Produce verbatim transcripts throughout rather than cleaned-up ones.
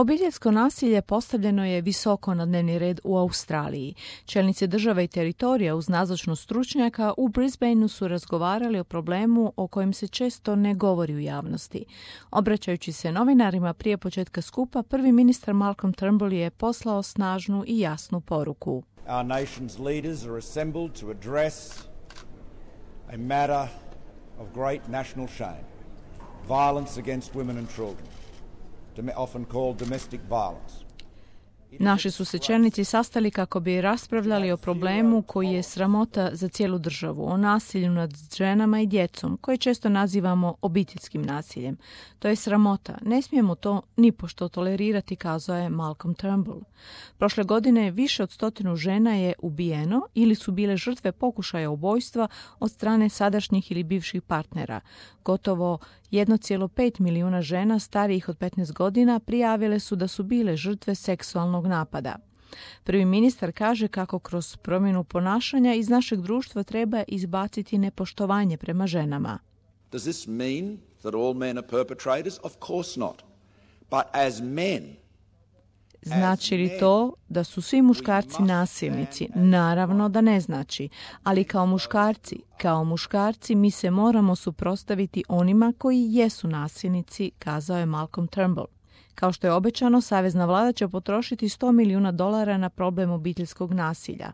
Obiteljsko nasilje postavljeno je visoko na dnevni red u Australiji. Čelnici države i teritorija uz nazočnost stručnjaka u Brisbaneu su razgovarali o problemu o kojem se često ne govori u javnosti. Obraćajući se novinarima prije početka skupa, prvi ministar Malcolm Turnbull je poslao snažnu i jasnu poruku. Our nation's leaders are assembled to address a matter of great national shame, violence against women and children, often called domestic violence. Naši su se čelnici sastali kako bi raspravljali o problemu koji je sramota za cijelu državu, o nasilju nad ženama i djecom, koje često nazivamo obiteljskim nasiljem. To je sramota. Ne smijemo to nipošto tolerirati, kazao je Malcolm Turnbull. Prošle godine više od stotinu žena je ubijeno ili su bile žrtve pokušaja ubojstva od strane sadašnjih ili bivših partnera. Gotovo jedan zarez pet milijuna žena starijih od petnaest godina prijavile su da su bile žrtve seksualnog napada. Prvi ministar kaže kako kroz promjenu ponašanja iz našeg društva treba izbaciti nepoštovanje prema ženama. Does this mean that all men are perpetrators? Of course not. But as men, Znači li to da su svi muškarci nasilnici? Naravno da ne znači, ali kao muškarci, kao muškarci mi se moramo suprotstaviti onima koji jesu nasilnici, kazao je Malcolm Turnbull. Kao što je obećano, savezna vlada će potrošiti sto milijuna dolara na problem obiteljskog nasilja.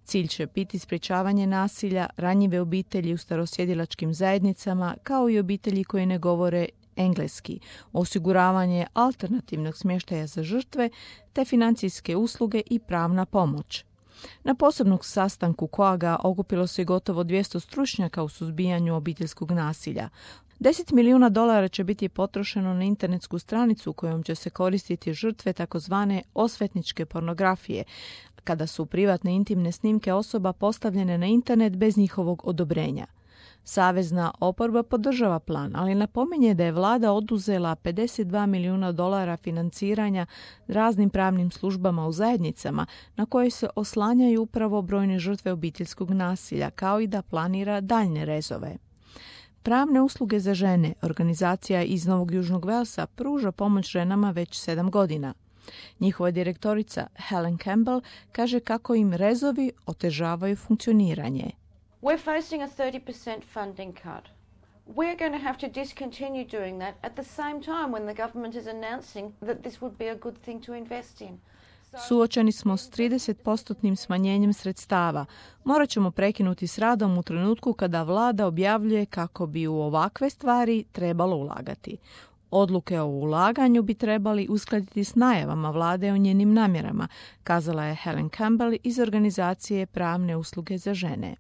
Cilj će biti sprječavanje nasilja, ranjive obitelji u starosjedilačkim zajednicama, kao i obitelji koje ne govore engleski, osiguravanje alternativnog smještaja za žrtve, te financijske usluge i pravna pomoć. Na posebnom sastanku koaga okupilo se gotovo dvjesto stručnjaka u suzbijanju obiteljskog nasilja. deset milijuna dolara će biti potrošeno na internetsku stranicu kojom će se koristiti žrtve takozvane osvetničke pornografije, kada su privatne intimne snimke osoba postavljene na internet bez njihovog odobrenja. Savezna oporba podržava plan, ali napominje da je vlada oduzela pedeset dva milijuna dolara financiranja raznim pravnim službama u zajednicama na koje se oslanjaju upravo brojne žrtve obiteljskog nasilja, kao i da planira daljne rezove. Pravne usluge za žene, organizacija iz Novog Južnog Velsa, pruža pomoć ženama već sedam godina. Njihova direktorica Helen Campbell kaže kako im rezovi otežavaju funkcioniranje. We're facing a thirty percent funding cut. We're going to have to discontinue doing that at the same time when the government is announcing that this would be a good thing to invest in. Suočeni smo s trideset posto smanjenjem sredstava. Morat ćemo prekinuti s radom u trenutku kada vlada objavljuje kako bi u ovakve stvari trebalo ulagati. Odluke o ulaganju bi trebali uskladiti s najavama vlade o njenim namjerama, kazala je Helen Campbell iz organizacije Pravne usluge za žene.